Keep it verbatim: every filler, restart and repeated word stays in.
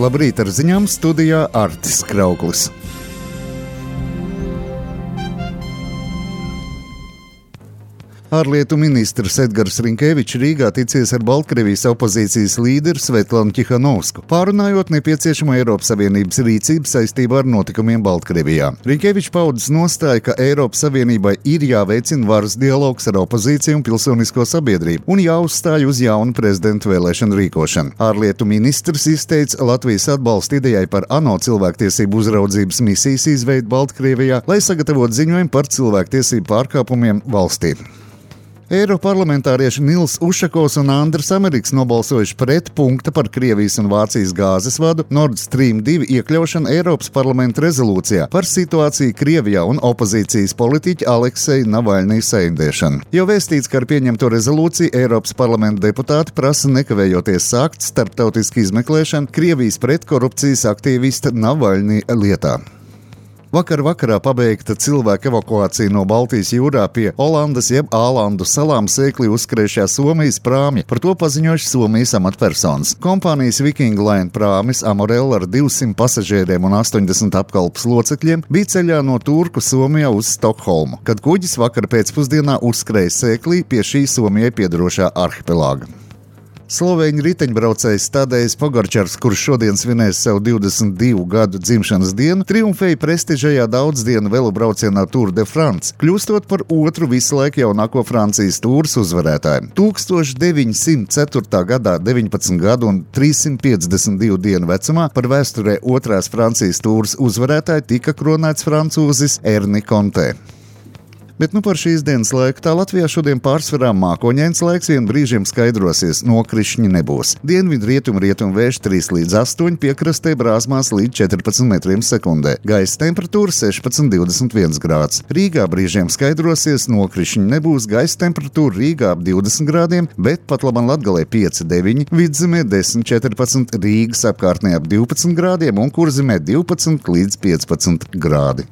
Labrīt, ar ziņām studijā Artis Krauklis. Ārlietu ministrs Edgars Rinkevičs Rīgā ticies ar Baltkrievijas opozīcijas līderi Svetlanu Tihanovsku, pārunājot nepieciešamo Eiropas Savienības rīcību saistībā ar notikumiem Baltkrievijā. Rinkevičs paudis nostāju, ka Eiropas Savienībai ir jāveicina varas dialogs ar opozīciju un pilsonisko sabiedrību un jāuzstāj uz jaunu prezidentu vēlēšanu rīkošanu. Ārlietu ministrs izteica Latvijas atbalstu idejai par ANO cilvēktiesību uzraudzības misijas izveidu Baltkrievijā, lai sagatavotu ziņojumu par cilvēktiesību pārkāpumiem valstī. Eiroparlamentārieši Nils Ušakovs un Andris Ameriks nobalsojuši pret punkta par Krievijas un Vācijas gāzes vadu Nord Stream divi iekļaušanu Eiropas parlamenta rezolūcijā par situāciju Krievijā un opozīcijas politiķa Alekseja Navaļnija sēdēšanu. Jau vēstīts, ka ar pieņemto rezolūciju Eiropas parlamenta deputāti prasa nekavējoties sākt starptautisku izmeklēšanu Krievijas pretkorupcijas aktīvista Navaļnija lietā. Vakar vakarā pabeigta cilvēku evakuācija no Baltijas jūrā pie Olandas jeb Ālandu salām sēkli uzskrējušā Somijas prāmja, par to paziņojuši Somijas amatpersonas. Kompānijas Viking Line prāmis Amorel ar divsimt pasažieriem un astoņdesmit apkalpes locekļiem bija ceļā no Turku Somijā uz Stokholmu, kad kuģis vakar pēcpusdienā uzskrēja sēklī pie šī Somijai piedarošā arhipelāga. Slovēņu riteņbraucējs Tadejs Pogačars, kurš šodien svinēs savu divdesmit divu gadu dzimšanas dienu, triumfēja prestižajā daudzdienu velobraucienā Tour de France, kļūstot par otru visu laiku jaunāko Francijas tūras uzvarētāju. tūkstoš deviņsimt ceturtā gadā deviņpadsmit gadu un trīssimt piecdesmit divu dienu vecumā par vēsturē otrās Francijas tūras uzvarētāju tika kronēts francūzis Erni Kontē. Bet nu par šīs dienas laiku tā Latvijā šodien pārsvarā mākoņains laiks, vien brīžiem skaidrosies, nokrišņi nebūs. Dienvidu rietumu rietumu vējš trīs līdz astoņi, piekrastē brāzmās līdz četrpadsmit metriem sekundē. Gaisa temperatūra sešpadsmit līdz divdesmit viens grāds. Rīgā brīžiem skaidrosies, nokrišņi nebūs, gaisa temperatūra Rīgā ap divdesmit grādiem, bet pat labam Latgalē pieci deviņi, Vidzemē desmit četrpadsmit, Rīgas apkārtnē ap divpadsmit grādiem un Kurzemē divpadsmit līdz piecpadsmit grādi.